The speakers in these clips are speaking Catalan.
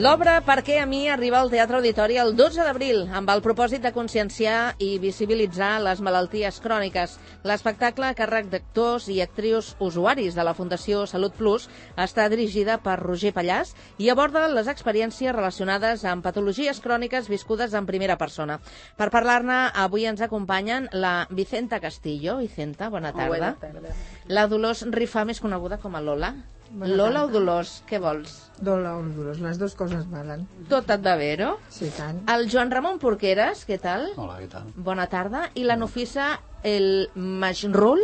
L'obra Per què a mi arriba al Teatre Auditori el 12 d'abril amb el propòsit de conscienciar i visibilitzar les malalties cròniques. L'espectacle a càrrec d'actors i actrius usuaris de la Fundació Salut Plus està dirigida per Roger Pallàs i aborda les experiències relacionades amb patologies cròniques viscudes en primera persona. Per parlar-ne, avui ens acompanyen la Vicenta Castillo. Vicenta, bona tarda. Bona tarda. La Dolors Rifà, més coneguda com a Lola. Lola o Dolors, què vols? Lola o Dolors, les dues coses valen. Tot et va bé, no? Sí, tant. El Joan Ramon Porqueres, què tal? Hola, què tal? Bona tarda. I la Nofisa El Majrul,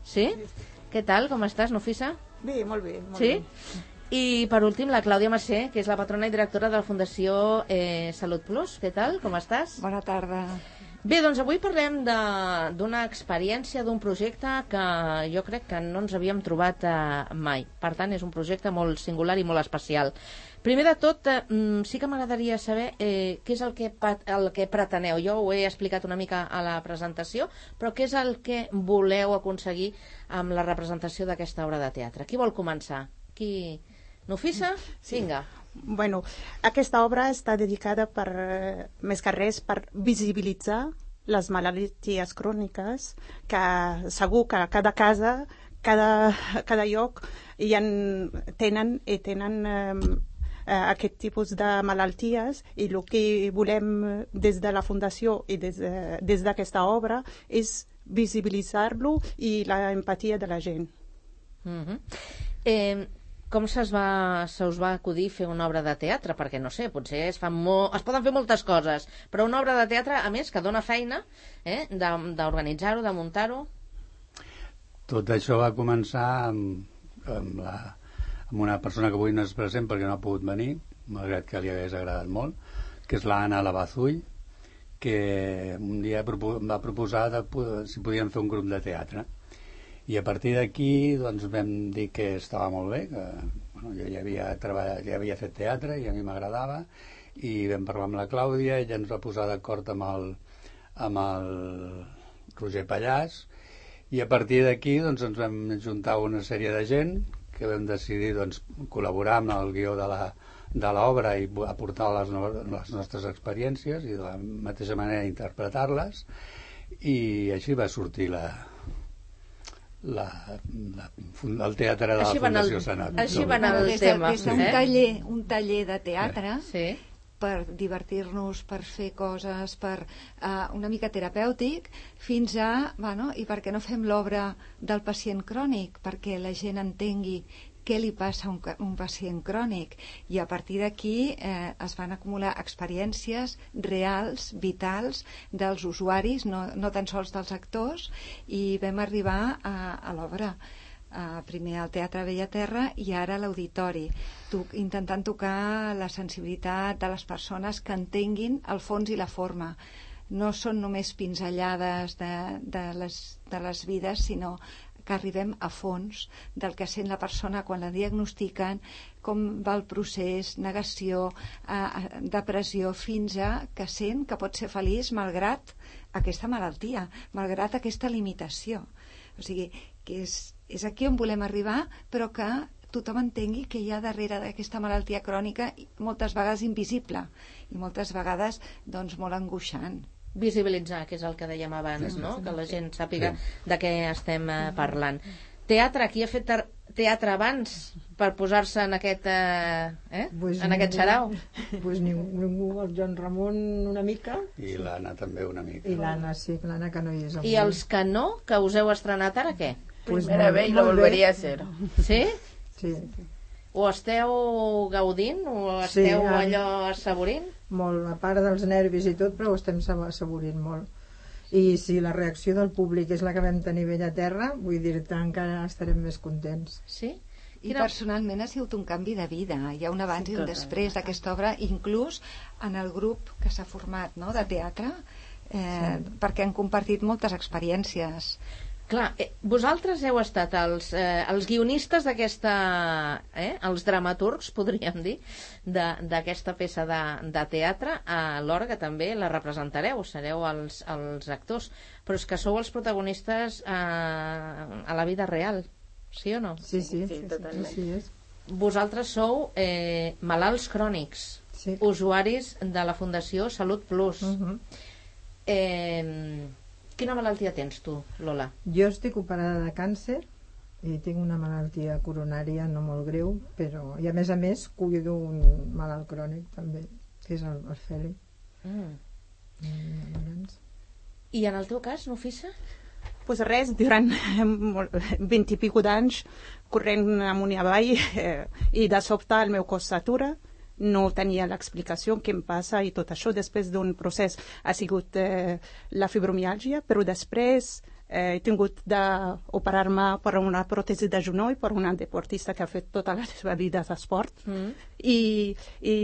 sí? Què tal, com estàs, Nofisa? Bé, molt bé. Molt sí? bé. I per últim, la Clàudia Massé, que és la patrona i directora de la Fundació Salut Plus. Què tal, com estàs? Bona tarda. Bé, doncs avui parlem d'una experiència, d'un projecte que jo crec que no ens havíem trobat mai. Per tant, és un projecte molt singular i molt especial. Primer de tot, sí que m'agradaria saber què és el que preteneu. Jo ho he explicat una mica a la presentació, però què és el que voleu aconseguir amb la representació d'aquesta obra de teatre? Qui vol començar? Qui? Nofisa? Sí. Vinga. Bueno, aquesta obra està dedicada més que res per visibilitzar les malalties cròniques, que segur que a cada casa, cada lloc tenen aquest tipus de malalties, i el que volem des de la Fundació i des d'aquesta obra és visibilitzar-lo i la empatia de la gent. Com se us va acudir fer una obra de teatre? Perquè, no sé, potser es poden fer moltes coses, però una obra de teatre, a més, que dona feina d'organitzar-ho, de muntar-ho. Tot això va començar amb una persona que avui no és present perquè no ha pogut venir, malgrat que li hagués agradat molt, que és l'Anna Lavazull, que un dia em va proposar si podíem fer un grup de teatre. I a partir d'aquí doncs, vam dir que estava molt bé, que jo ja havia fet teatre i a mi m'agradava, i vam parlar amb la Clàudia, ella ens va posar d'acord amb el Roger Pallàs, i a partir d'aquí doncs, ens vam juntar una sèrie de gent que vam decidir doncs, col·laborar amb el guió de l'obra i aportar les nostres experiències i de la mateixa manera interpretar-les, i així va sortir el teatre de la Fundació Sanat. Així va anar el tema. Des d'un taller de teatre, per divertir-nos, per fer coses, per una mica terapèutic, fins a, i per què no fem l'obra del pacient crònic, perquè la gent entengui què li passa a un pacient crònic, i a partir d'aquí es van acumular experiències reals, vitals, dels usuaris, no tan sols dels actors, i vam arribar a l'obra. Primer al Teatre Bellaterra i ara a l'Auditori, intentant tocar la sensibilitat de les persones, que entenguin el fons i la forma. No són només pinzellades de les vides, sinó que arribem a fons del que sent la persona quan la diagnostiquen, com va el procés, negació, depressió, fins a que sent que pot ser feliç malgrat aquesta malaltia, malgrat aquesta limitació. O sigui, que és aquí on volem arribar, però que tothom entengui que hi ha darrere d'aquesta malaltia crònica moltes vegades invisible i moltes vegades doncs, molt angoixant. Visibilitzar, que és el que dèiem abans, no? Que la gent sàpiga de què estem parlant. Teatre, qui ha fet teatre abans per posar-se en aquest xarau? Pues ningú, el Joan Ramon una mica. I l'Anna també una mica. I l'Anna, sí, l'Anna que no hi és avui. I els que no, que us heu estrenat ara, què? Primera vez y lo volvería a hacer. Sí? Sí. Ho esteu gaudint? Ho esteu allò assaborint? Molt, a part dels nervis i tot, però ho estem assaborint molt. I si la reacció del públic és la que vam tenir a terra, vull dir-te, encara estarem més contents. Sí? I personalment ha sigut un canvi de vida. Hi ha un abans i un després d'aquesta obra, inclús en el grup que s'ha format de teatre, perquè han compartit moltes experiències. Clar, vosaltres heu estat els guionistes d'aquesta, els dramaturgs, podríem dir, d'aquesta peça de teatre, alhora que també la representareu, sereu els actors, però és que sou els protagonistes a la vida real, sí o no? Sí, totalment. Sí, és. vosaltres sou malalts crònics, usuaris de la Fundació Salut Plus. Quina malaltia tens tu, Lola? Jo estic operada de càncer i tinc una malaltia coronària no molt greu, però i a més cuido un malalt crònic també, que és el Feli. I en el teu cas, Nofisa? Pues res, durant 20 i pico d'anys corrent amunt i avall i de sobte el meu cos s'atura, no tenia l'explicació què em passa i tot això. Després d'un procés ha sigut la fibromiàlgia, però després he tingut d'operar-me per una pròtesi de genoll per una deportista que ha fet tota la seva vida d'esport i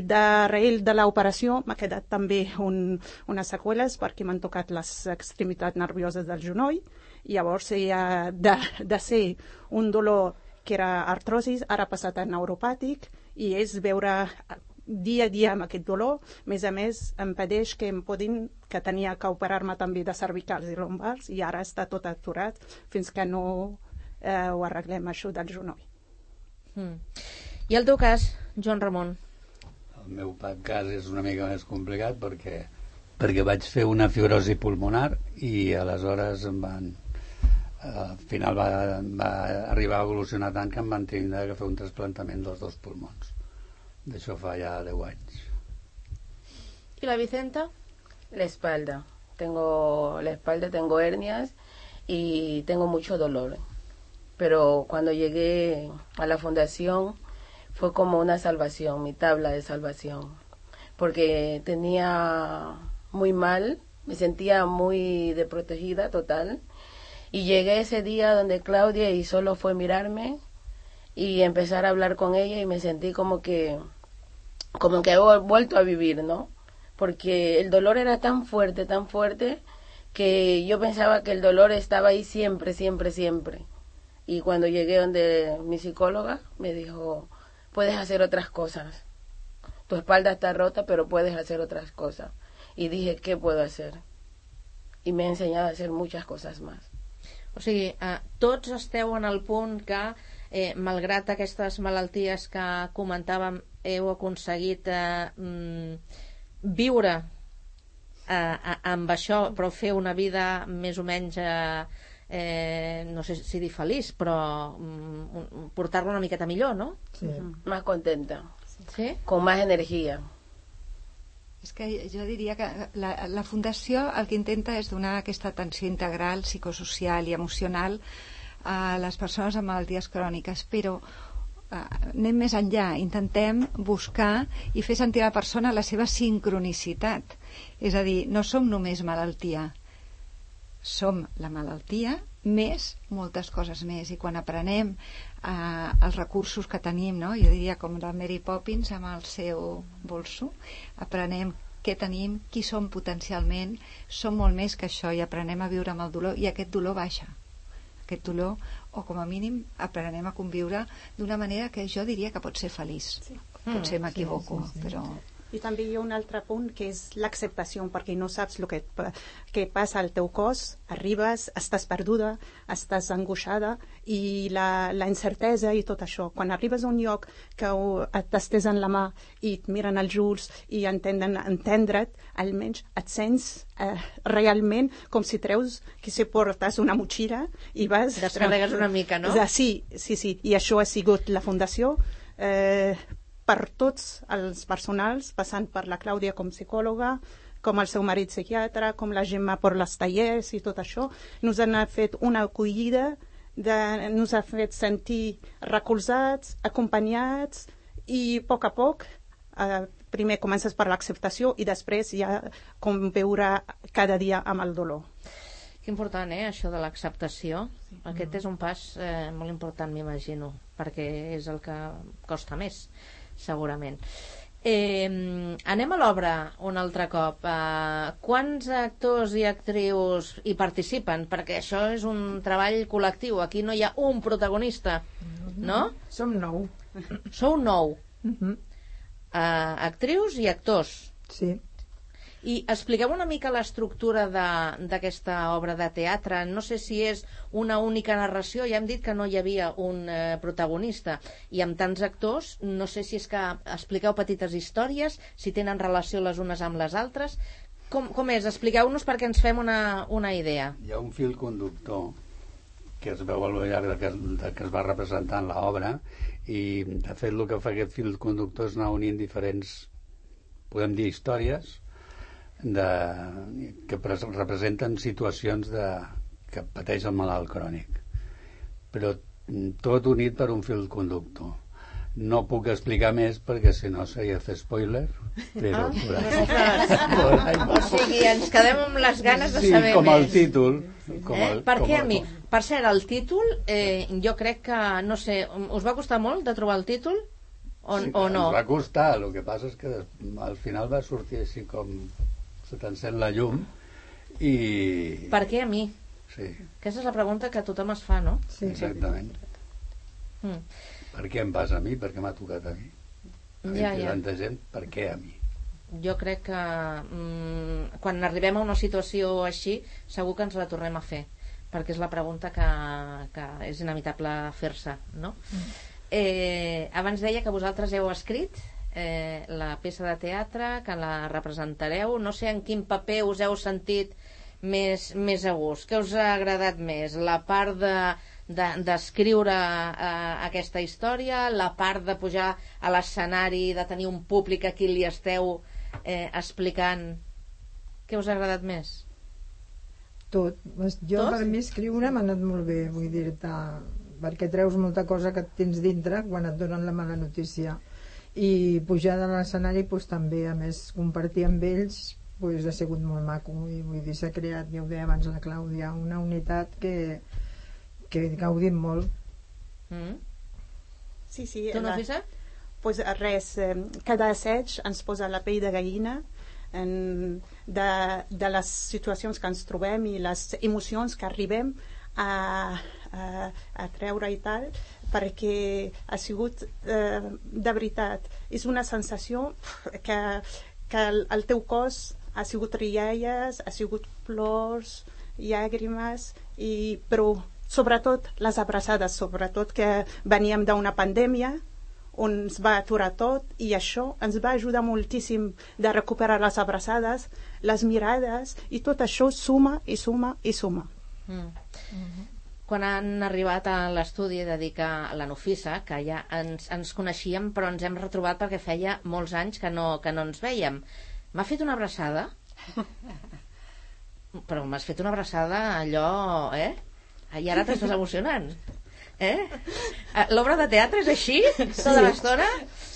darrere de l'operació m'ha quedat també unes seqüeles perquè m'han tocat les extremitats nervioses del genoll i llavors de ser un dolor que era artrosis, ara ha passat a neuropàtic i és veure dia a dia amb aquest dolor. A més, em impedeix que tenia que operar-me també de cervicals i lumbars i ara està tot aturat fins que no ho arreglem, això del genoll. I el teu cas, Joan Ramon? El meu cas és una mica més complicat perquè vaig fer una fibrosi pulmonar i aleshores al final va arribar a evolucionar tant que em van tenir que fer un trasplantament dels 2 pulmons. D'això fa ya 10 años. ¿Y la Vicenta? La espalda. Tengo hernias y tengo mucho dolor. Pero cuando llegué a la fundación fue como una salvación, mi tabla de salvación. Porque tenía muy mal, me sentía muy desprotegida total. Y llegué ese día donde Claudia y solo fue mirarme y empezar a hablar con ella y me sentí como que he vuelto a vivir, ¿no? Porque el dolor era tan fuerte que yo pensaba que el dolor estaba ahí siempre. Y cuando llegué donde mi psicóloga me dijo, puedes hacer otras cosas. Tu espalda está rota, pero puedes hacer otras cosas. Y dije, ¿qué puedo hacer? Y me ha enseñado a hacer muchas cosas más. O sigui, tots esteu en el punt que malgrat aquestes malalties que comentàvem heu aconseguit viure amb això, però fer una vida més o menys no sé si dir feliç, però portar-la una miqueta millor, no? Sí. Más contenta. ¿Sí? Con más energía. És que jo diria que la Fundació el que intenta és donar aquesta atenció integral, psicosocial i emocional a les persones amb malalties cròniques, però anem més enllà, intentem buscar i fer sentir a la persona la seva sincronicitat. És a dir, no som només malaltia, som la malaltia més moltes coses més, i quan aprenem els recursos que tenim, no? Jo diria com la Mary Poppins amb el seu bolso, aprenem què tenim, qui som potencialment, som molt més que això, i aprenem a viure amb el dolor, i aquest dolor baixa, aquest dolor, o com a mínim aprenem a conviure d'una manera que jo diria que pot ser feliç. Potser m'equivoco, però... I també hi ha un altre punt que és l'acceptació, perquè no saps el que passa al teu cos, arribes, estàs perduda, estàs angoixada, i la incertesa i tot això. Quan arribes a un lloc que t'estesen la mà i et miren els ulls i entendre't, almenys et sents realment com si treus, que si portes una motxilla i vas... Descarregues una mica, no? Sí, i això ha sigut la Fundació per tots els personals, passant per la Clàudia com psicòloga, com el seu marit psiquiatre, com la Gemma per les tallers i tot això. Nos han fet una acollida, nos ha fet sentir recolzats, acompanyats, i a poc, primer comences per l'acceptació i després ja com veure cada dia amb el dolor. Que important, això de l'acceptació. Aquest és un pas molt important, m'imagino, perquè és el que costa més, segurament. Anem a l'obra un altre cop. Quants actors i actrius hi participen? Perquè això és un treball col·lectiu. Aquí no hi ha un protagonista, no? Som 9. Sou 9. Actrius i actors. Sí. I expliqueu una mica l'estructura d'aquesta obra de teatre. No sé si és una única narració, ja hem dit que no hi havia un protagonista, i amb tants actors, no sé si és que expliqueu petites històries, si tenen relació les unes amb les altres. Com és? Expliqueu-nos perquè ens fem una idea. Hi ha un fil conductor que es veu al llarg que es va representant l'obra, i de fet el que fa aquest fil conductor és anar unint diferents, podem dir, històries que representen situacions que pateix el malalt crònic, però tot unit per un fil conductor. No puc explicar més perquè si no seria fer spoiler, però o sigui, ens quedem amb les ganes de saber més. Sí, com el títol. Per què a mi? Per cert, el títol jo crec que, no sé, us va costar molt de trobar el títol o no? Ens va costar, el que passa és que al final va sortir així com se t'encén la llum i... Per què a mi? Sí. Aquesta és la pregunta que tothom es fa, no? Sí. Exactament. Per què em passa a mi? Per què m'ha tocat a mi? Tanta gent, per què a mi? Jo crec que quan arribem a una situació així segur que ens la tornem a fer, perquè és la pregunta que és inevitable fer-se, no? Abans deia que vosaltres heu escrit la peça de teatre, que la representareu. No sé en quin paper us heu sentit més a gust. Què us ha agradat més? La part d'escriure aquesta història, la part de pujar a l'escenari, de tenir un públic a qui li esteu explicant? Què us ha agradat més? Tot. Jo, per mi, escriure m'ha anat molt bé, vull dir-te, perquè treus molta cosa que et tens dintre quan et donen la mala notícia, i pujar de l'escenari doncs, també, a més, compartir amb ells doncs, ha sigut molt maco, i vull dir, s'ha creat, ja ho deia abans la Clàudia, una unitat que gaudim molt. Sí. Tu, Nafisa? Pues res, cada assaig ens posa la pell de gallina de les situacions que ens trobem i les emocions que arribem a treure i tal, perquè ha sigut de veritat, és una sensació que el teu cos ha sigut rialles, ha sigut plors, llàgrimes, però sobretot les abraçades, sobretot que veníem d'una pandèmia on ens va aturar tot, i això ens va ajudar moltíssim de recuperar les abraçades, les mirades, i tot això suma i suma i suma. Quan han arribat a l'estudi de dir que la Nafisa, que ja ens coneixíem però ens hem retrobat perquè feia molts anys que no ens vèiem, m'ha fet una abraçada? Però m'has fet una abraçada allò, i ara t'estàs emocionant, L'obra de teatre és així? Tota l'estona?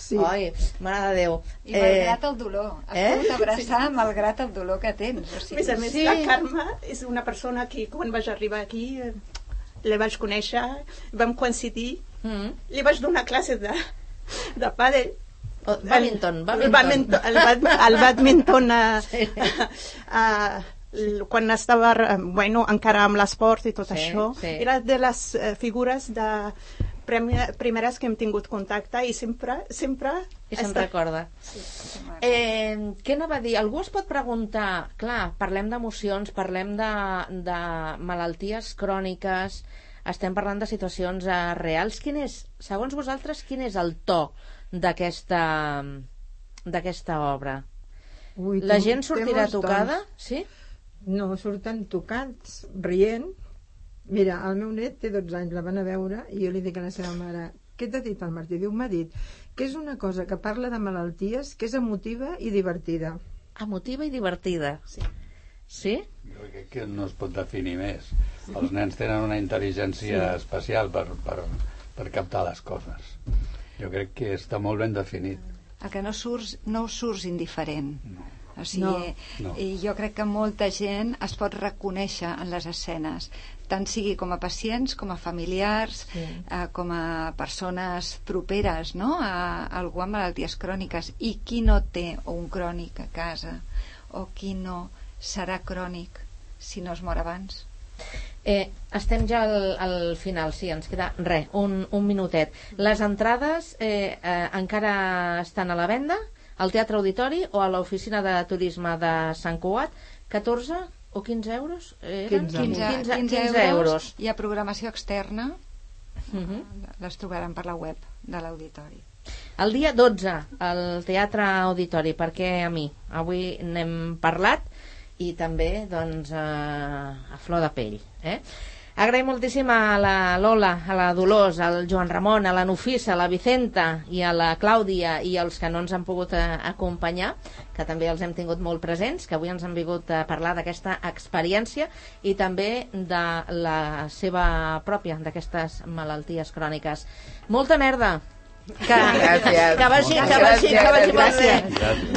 Sí. Ai, mare de Déu. I malgrat el dolor. Es pot abraçar malgrat el dolor que tens. O sigui. A més, la Carme és una persona que quan vaig arribar aquí la vaig conèixer, vam coincidir, li vaig donar classe de pàdel. Badminton. El badminton quan estava encara amb l'esport i tot això, era de les figures de primeres que hem tingut contacte i sempre se'n recorda. Què anava a dir? Algú es pot preguntar, clar, parlem d'emocions, parlem de malalties cròniques, estem parlant de situacions reals. Segons vosaltres, quin és el to d'aquesta obra? La gent sortirà tocada? Sí? No, surten tocats, rient. Mira, el meu net té 12 anys, la van a veure, i jo li dic a la seva mare: què t'ha dit el Martí? Diu, m'ha dit que és una cosa que parla de malalties, que és emotiva i divertida. Emotiva i divertida. Sí? Jo crec que no es pot definir més. Els nens tenen una intel·ligència especial per captar les coses. Jo crec que està molt ben definit. El que no surts indiferent. No. O sigui, jo crec que molta gent es pot reconèixer en les escenes, tant sigui com a pacients, com a familiars, com a persones properes, no?, a algú amb malalties cròniques. I qui no té un crònic a casa, o qui no serà crònic si no es mor abans? Estem ja al final, sí, ens queda un minutet. Les entrades encara estan a la venda? al Teatre Auditori o a l'Oficina de Turisme de Sant Cugat. 14 o 15 euros? 15 euros. Hi ha programació externa. Les trobaran per la web de l'Auditori. El dia 12 al Teatre Auditori, perquè a mi avui n'hem parlat i també doncs a flor de pell. Agraïm moltíssim a la Lola, a la Dolors, al Joan Ramon, a la Nufisa, a la Vicenta i a la Clàudia i els que no ens han pogut acompanyar, que també els hem tingut molt presents, que avui ens han vingut a parlar d'aquesta experiència i també de la seva pròpia, d'aquestes malalties cròniques. Molta merda! Que vagi molt bé.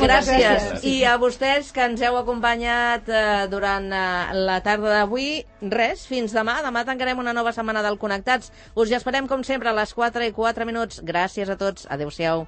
Gràcies. I a vostès que ens heu acompanyat durant la tarda d'avui, res, fins demà. Demà tancarem una nova setmana del Connectats. Us hi esperem com sempre a les 4:04. Gràcies a tots. Adéu-siau.